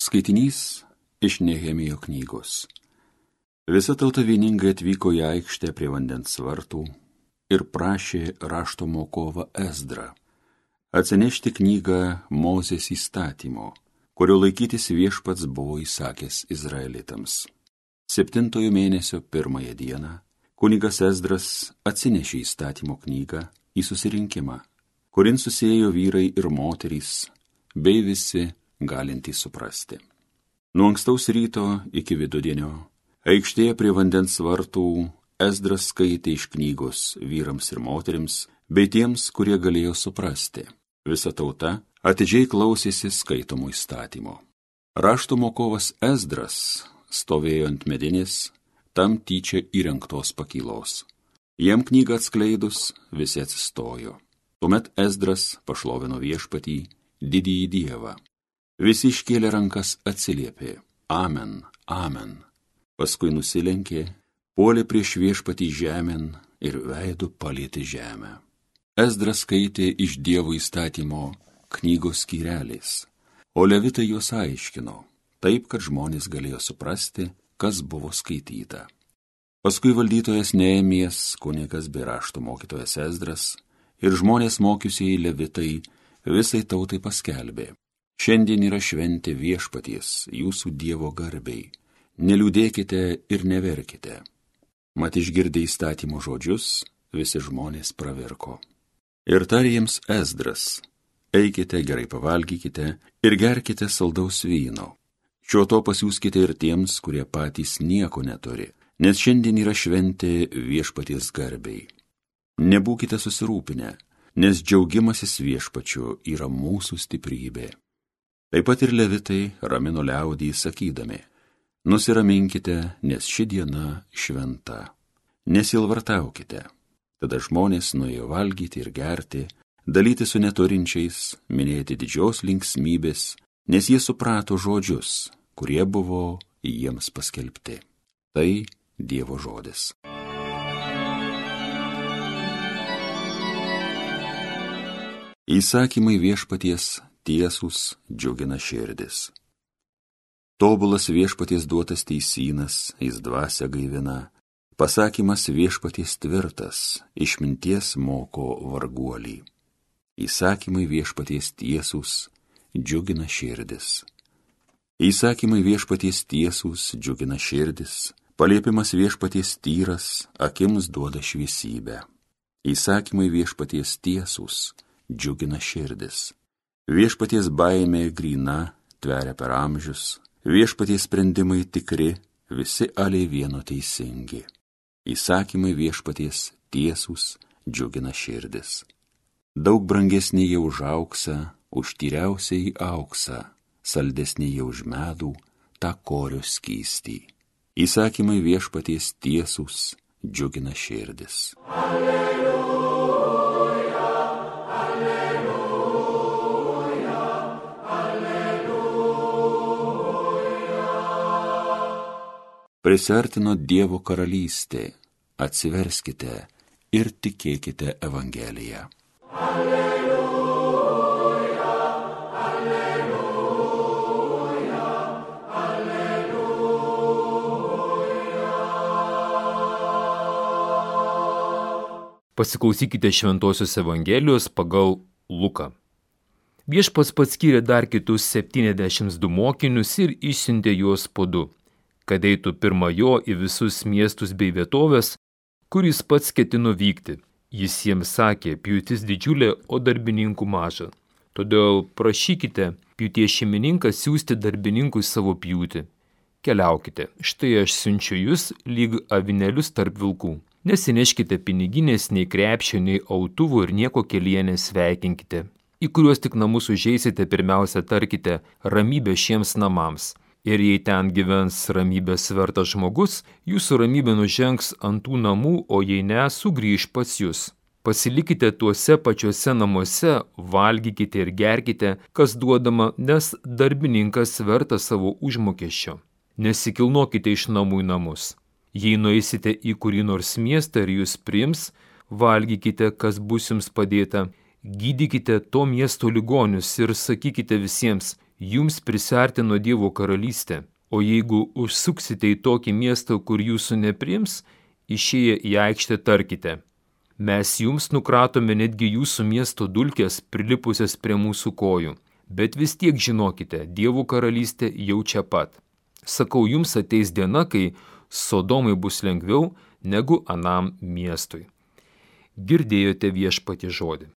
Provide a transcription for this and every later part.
Skaitinys iš Nehemijo knygos. Visa tauta vieningai atvyko į aikštę prie vandens vartų ir prašė rašto mokovą Ezdrą atsinešti knygą Mozės įstatymo, kurio laikytis viešpats buvo įsakęs Izraelitams. 7 mėnesio 1 dieną kunigas Ezdras atsinešė įstatymo knygą į susirinkimą, kurin susėjo vyrai ir moterys, bei visi galintys suprasti. Nuo ankstaus ryto iki vidudienio aikštėje prie vandens vartų Ezdras skaitė iš knygos vyrams ir moterims, bei tiems, kurie galėjo suprasti. Visa tauta atidžiai klausėsi skaitomų įstatymo. Rašto mokovas Ezdras stovėjo ant medinės, tam tyčia įrengtos pakylos. Jam knygą atskleidus, visi atsistojo. Tuomet Ezdras pašlovino viešpatį, didįjį Dievą. Visi iškėlė rankas, atsiliepė: Amen, amen. Paskui nusilenkė, puolė prieš viešpatį žemėn ir veidu palietė žemę. Ezdras skaitė iš Dievo įstatymo knygos skyreliais, o levitai juos aiškino, taip, kad žmonės galėjo suprasti, kas buvo skaityta. Paskui valdytojas Nehemijas, kunigas bei rašto mokytojas Ezdras ir žmonės mokiusieji levitai visai tautai paskelbė: Šiandien yra šventė viešpaties, jūsų Dievo garbei. Neliūdėkite ir neverkite. Mat išgirdę įstatymo žodžius, visi žmonės pravirko. Ir tarė jiems Ezdras: Eikite, gerai pavalgykite ir gerkite saldaus vyno. Šio to pasiųskite ir tiems, kurie patys nieko neturi, nes šiandien yra šventė viešpaties garbei. Nebūkite susirūpinę, nes džiaugimasis viešpačiu yra mūsų stiprybė. Taip pat ir levitai ramino liaudį sakydami: Nusiraminkite, nes ši diena šventa. Nesilvartaukite. Tada žmonės nuėjo valgyti ir gerti, dalyti su neturinčiais, minėti didžios linksmybės, nes jie suprato žodžius, kurie buvo jiems paskelbti. Tai Dievo žodis. Įsakymai viešpaties tiesūs džiugina širdis. Tobulas viešpaties duotas teisynas, jis dvasią gaivina. Pasakymas viešpaties tvirtas, išminties moko varguolį. Įsakymai viešpaties tiesūs džiugina širdis. Įsakymai viešpaties tiesūs džiugina širdis. Paliepimas viešpaties tyras, akims duoda šviesybę. Įsakymai viešpaties tiesūs džiugina širdis. Viešpaties baimė gryna, tveria per amžius. Viešpaties sprendimai tikri, visi aliai vieno teisingi. Įsakymai viešpaties tiesūs džiugina širdis. Daug brangesnė jie už auksą, už tyriausiai auksą, saldesnė jie už medų, tą korio skystį. Įsakymai viešpaties tiesūs džiugina širdis. Prisiartino Dievo karalystė, atsiverskite ir tikėkite Evangeliją. Alleluja, alleluja, alleluja. Pasiklausykite Šventosios Evangelijos pagal Luką. Viešpats paskyrė dar kitus 72 mokinius ir išsiuntė juos po 2. Kad eitų pirma jo į visus miestus bei vietovės, kur jis pats ketino vykti. Jis jiems sakė: pjūtis didžiulė, o darbininkų maža. Todėl prašykite pjūties šeimininką siųsti darbininkui savo pjūtį. Keliaukite, štai aš siunčiu jūs lyg avinėlius tarp vilkų. Nesineškite piniginės, nei krepšio, nei autuvų ir nieko kelyje nesveikinkite. Į kuriuos tik namus užeisite, pirmiausia tarkite: ramybė šiems namams. Ir jei ten gyvens ramybės vertas žmogus, jūsų ramybė nužengs ant tų namų, o jei ne, sugrįš pas jūs. Pasilikite tuose pačiuose namuose, valgykite ir gerkite, kas duodama, nes darbininkas vertas savo užmokesčio. Nesikilnokite iš namų į namus. Jei nueisite į kurį nors miestą ir jūs priims, valgykite, kas bus jums padėta, gydykite to miesto ligonius ir sakykite visiems: jums prisiartino Dievo karalystė, o jeigu užsuksite į tokį miestą, kur jūsų nepriims, išėję į aikštę tarkite: mes jums nukratome netgi jūsų miesto dulkes prilipusias prie mūsų kojų, bet vis tiek žinokite, Dievo karalystė jau čia pat. Sakau, jums ateis diena, kai Sodomai bus lengviau negu anam miestui. Girdėjote Viešpatie žodį.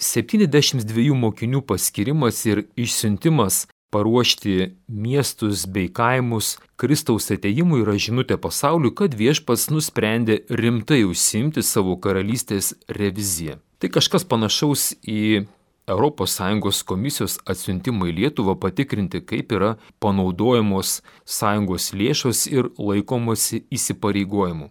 Septyniasdešimt dviejų mokinių paskirimas ir išsiuntimas paruošti miestus bei kaimus Kristaus atėjimui yra žinutė pasauliui, kad Viešpats nusprendė rimtai užsiimti savo karalystės reviziją. Tai kažkas panašaus į ES komisijos atsiuntimą į Lietuvą patikrinti, kaip yra panaudojamos sąjungos lėšos ir laikomasi įsipareigojimų.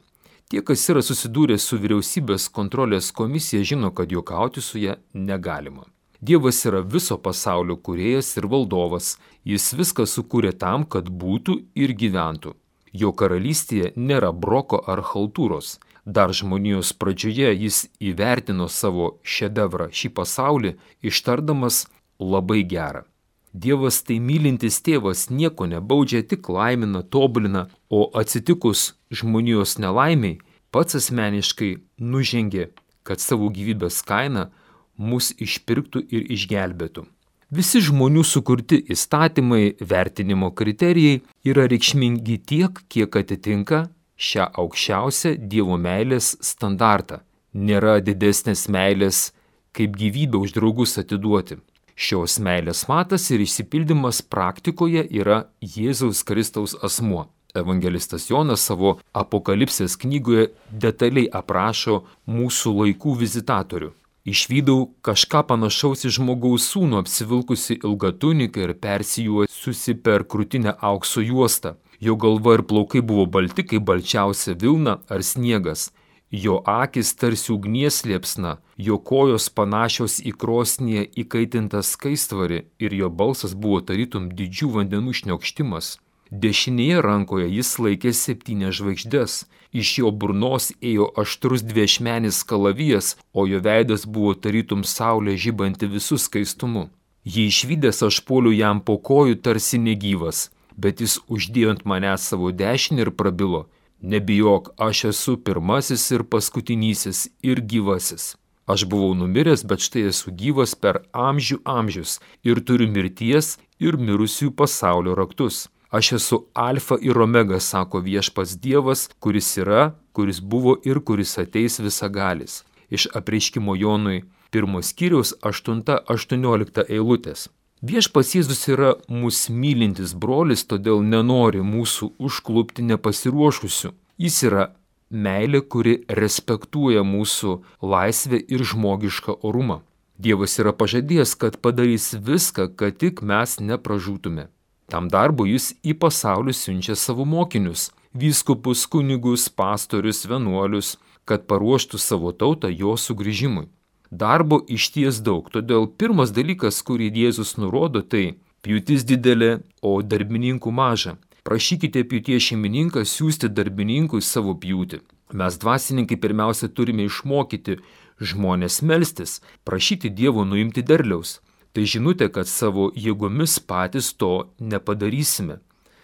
Tie, kas yra susidūrę su vyriausybės kontrolės komisija, žino, kad juokauti su ja negalima. Dievas yra viso pasaulio kūrėjas ir valdovas, jis viską sukūrė tam, kad būtų ir gyventų. Jo karalystėje nėra broko ar chaltūros. Dar žmonijos pradžioje jis įvertino savo šedevrą, šį pasaulį, ištardamas labai gerą. Dievas tai mylintis tėvas, nieko nebaudžia, tik laimina, tobulina, o atsitikus žmonijos nelaimiai, pats asmeniškai nužengė, kad savo gyvybės kaina mus išpirktų ir išgelbėtų. Visi žmonių sukurti įstatymai, vertinimo kriterijai yra reikšmingi tiek, kiek atitinka šią aukščiausią Dievo meilės standartą. Nėra didesnės meilės, kaip gyvybę už draugus atiduoti. Šios meilės matas ir išsipildymas praktikoje yra Jėzaus Kristaus asmuo. Evangelistas Jonas savo Apokalipsės knygoje detaliai aprašo mūsų laikų vizitatorių. Išvydau kažką panašaus į žmogaus sūnų, apsivilkusi ilgą tuniką ir persijuosusi per krūtinę aukso juostą. Jo galva ir plaukai buvo balti kaip balčiausia vilna ar sniegas. Jo akis tarsi ugnies liepsna, jo kojos panašios į krosnyje įkaitintą skaistvarį ir jo balsas buvo tarytum didžių vandenų šniokštimas. Dešinėje rankoje jis laikė 7 žvaigždes, iš jo burnos ėjo aštrus dviašmenis kalavijas, o jo veidas buvo tarytum saulė žibanti visų skaistumu. Jį išvydęs aš puoliau jam po kojų tarsi negyvas, bet jis uždėjo ant manęs savo dešinę ir prabilo: nebijok, aš esu pirmasis ir paskutinysis ir gyvasis. Aš buvau numiręs, bet štai esu gyvas per amžių amžius ir turiu mirties ir mirusiųjų pasaulio raktus. Aš esu alfa ir omega, sako Viešpats Dievas, kuris yra, kuris buvo ir kuris ateis visagalis. Iš Apreiškimo Jonui 1 skyriaus 8-18 eilutės. Viešpats Jėzus yra mūsų mylintis brolis, todėl nenori mūsų užklupti nepasiruošusių. Jis yra meilė, kuri respektuoja mūsų laisvę ir žmogišką orumą. Dievas yra pažadėjęs, kad padarys viską, kad tik mes nepražūtume. Tam darbui jis į pasaulį siunčia savo mokinius – vyskupus, kunigus, pastorius, vienuolius, kad paruoštų savo tautą jo sugrįžimui. Darbo išties daug, todėl pirmas dalykas, kurį Jėzus nurodo, tai pjūtis didelė, o darbininkų maža. Prašykite pjūties šeimininką siųsti darbininkui savo pjūtį. Mes dvasininkai pirmiausia turime išmokyti žmonės melstis, prašyti Dievo nuimti derliaus. Tai žinutė, kad savo jėgomis patys to nepadarysime.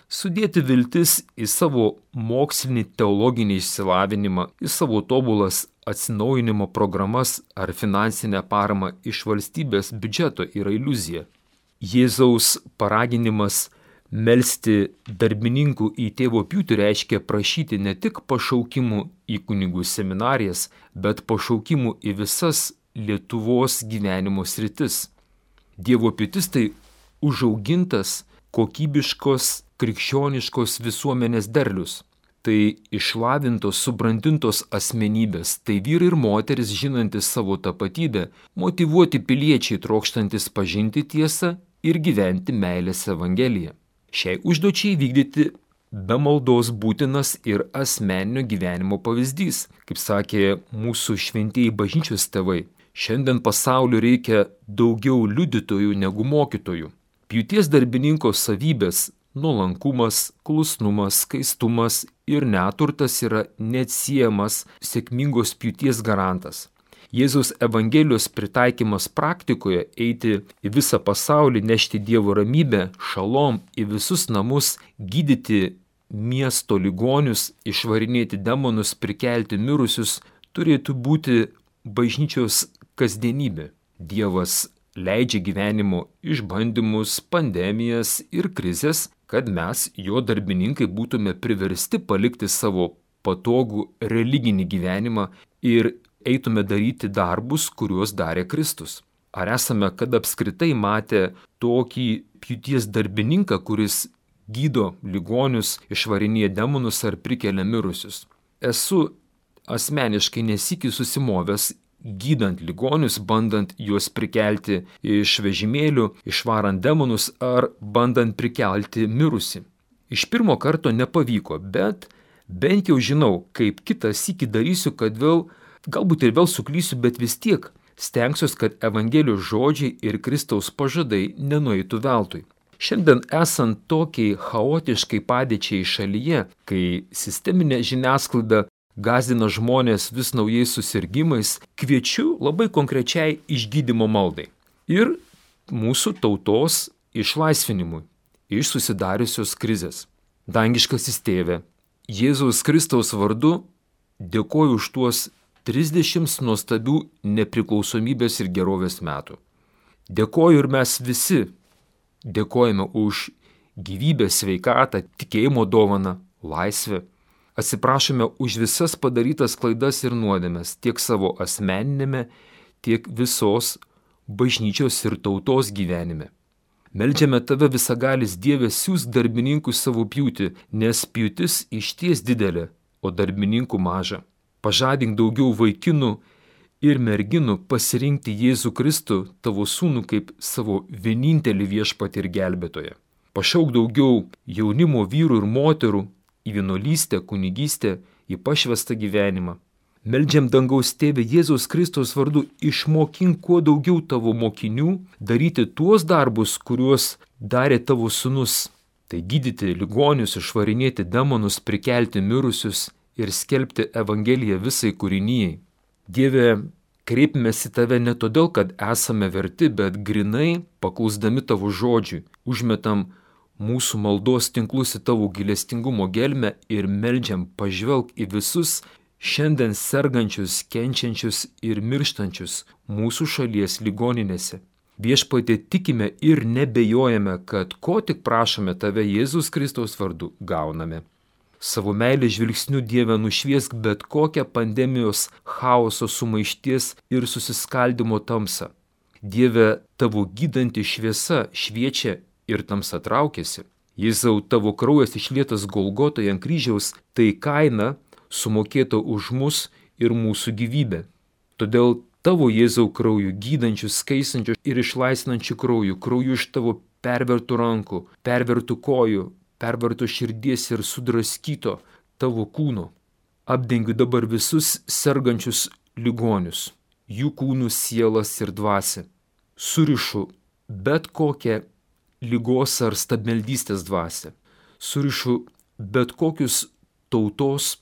Sudėti viltis į savo mokslinį teologinį išsilavinimą, į savo tobulas atsinaujinimo programas ar finansinę paramą iš valstybės biudžeto yra iliuzija. Jėzaus paraginimas melsti darbininkų į tėvo pjūtį reiškia prašyti ne tik pašaukimų į kunigų seminarijas, bet pašaukimų į visas Lietuvos gyvenimo sritis. Dievo pjūtis tai užaugintas, kokybiškos, krikščioniškos visuomenės derlius. Tai išlavintos, subrandintos asmenybės, tai vyrai ir moteris žinantis savo tapatybę, motyvuoti piliečiai trokštantis pažinti tiesą ir gyventi meilės evangeliją. Šiai užduočiai vykdyti be maldos būtinas ir asmeninio gyvenimo pavyzdys, kaip sakė mūsų šventieji bažnyčios tėvai. Šiandien pasauliu reikia daugiau liudytojų negu mokytojų. Pjūties darbininko savybės – nuolankumas, klusnumas, skaistumas ir neturtas yra neatsiejamas sėkmingos pjūties garantas. Jėzaus Evangelijos pritaikymas praktikoje eiti į visą pasaulį, nešti Dievo ramybę, šalom į visus namus, gydyti miesto ligonius, išvarinėti demonus, prikelti mirusius, turėtų būti bažnyčios kasdienybė. Dievas leidžia gyvenimo išbandymus, pandemijas ir krizės, kad mes, jo darbininkai, būtume priversti palikti savo patogų religinį gyvenimą ir eitume daryti darbus, kuriuos darė Kristus. Ar esame kada apskritai matę tokį pjūties darbininką, kuris gydo ligonius, išvarinėja demonus ar prikelia mirusius? Esu asmeniškai nesykiai susimovęs gydant ligonius, bandant juos prikelti iš vežimėlių, išvarant demonus ar bandant prikelti mirusį. Iš pirmo karto nepavyko, bet bent jau žinau, kaip kitą sykį darysiu, kad galbūt ir vėl suklysiu, bet vis tiek stengsiuos, kad Evangelijos žodžiai ir Kristaus pažadai nenueitų veltui. Šiandien esant tokiai chaotiškai padėčiai šalyje, kai sisteminė žiniasklaida gąsdina žmonės vis naujais susirgimais, kviečiu labai konkrečiai išgydymo maldai ir mūsų tautos išlaisvinimui iš susidariusios krizės. Dangiškasis Tėve, Jėzaus Kristaus vardu dėkoju už tuos 30 nuostabių nepriklausomybės ir gerovės metų. Dėkoju ir mes visi dėkojame už gyvybę, sveikatą, tikėjimo dovaną, laisvę. Atsiprašome už visas padarytas klaidas ir nuodėmes tiek savo asmeninėme, tiek visos bažnyčios ir tautos gyvenime. Meldžiame Tave visagalis Dieve, siųsk darbininkų savo pjūtį, nes pjūtis išties didelė, o darbininkų maža. Pažadink daugiau vaikinų ir merginų pasirinkti Jėzų Kristų, Tavo sūnų, kaip savo vienintelį viešpatį ir gelbėtoją. Pašauk daugiau jaunimo vyrų ir moterų į vienuolystę, kunigystę, į pašvestą gyvenimą. Meldžiam dangaus Tėve Jėzaus Kristaus vardu, išmokink kuo daugiau Tavo mokinių daryti tuos darbus, kuriuos darė Tavo sūnus. Tai gydyti ligonius, išvarinėti demonus, prikelti mirusius ir skelbti Evangeliją visai kūrinijai. Dieve, kreipimės į Tave ne todėl, kad esame verti, bet grinai paklusdami Tavo žodžiui. Užmetam mūsų maldos tinklus į Tavo gailestingumo gelmę ir meldžiam pažvelk į visus šiandien sergančius, kenčiančius ir mirštančius mūsų šalies ligoninėse. Viešpatie, tikime ir nebejojame, kad ko tik prašome Tave Jėzus Kristaus vardu gauname. Savo meilės žvilgsniu Dieve nušviesk bet kokią pandemijos chaoso, sumaišties ir susiskaldimo tamsą. Dieve, Tavo gydanti šviesa šviečia ir tamsa traukiasi. Jėzau, Tavo kraujas išlietas Golgotoje ant kryžiaus, tai kaina sumokėta už mus ir mūsų gyvybę. Todėl Tavo Jėzau krauju, gydančių, skaistančių ir išlaisvinančių krauju iš Tavo pervertų rankų, pervertų kojų, pervertų širdies ir sudraskyto Tavo kūno. Apdengiu dabar visus sergančius ligonius, jų kūnų, sielas ir dvasią. Surišu bet kokią ligos ar stabmeldystės dvasią. Surišu bet kokius tautos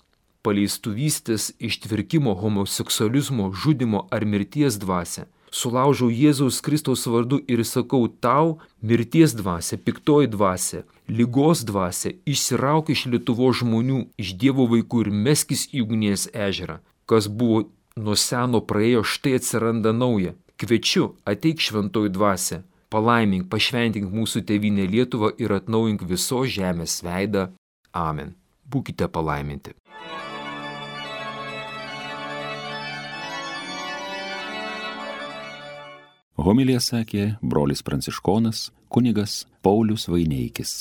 paleistuvystės, ištvirkimo, homoseksualizmo, žudimo ar mirties dvasią. Sulaužau Jėzaus Kristaus vardu ir sakau Tau, mirties dvasia, piktoji dvasia, ligos dvasia, išsirauk iš Lietuvos žmonių, iš Dievo vaikų ir meskis į ugnies ežerą. Kas buvo nuo seno praėjo, štai atsiranda nauja. Kviečiu, ateik šventoji dvasia, palaimink, pašventink mūsų tėvynę Lietuvą ir atnaujink visos žemės veidą. Amen. Būkite palaiminti. Homiliją sakė brolis pranciškonas kunigas Paulius Vaineikis.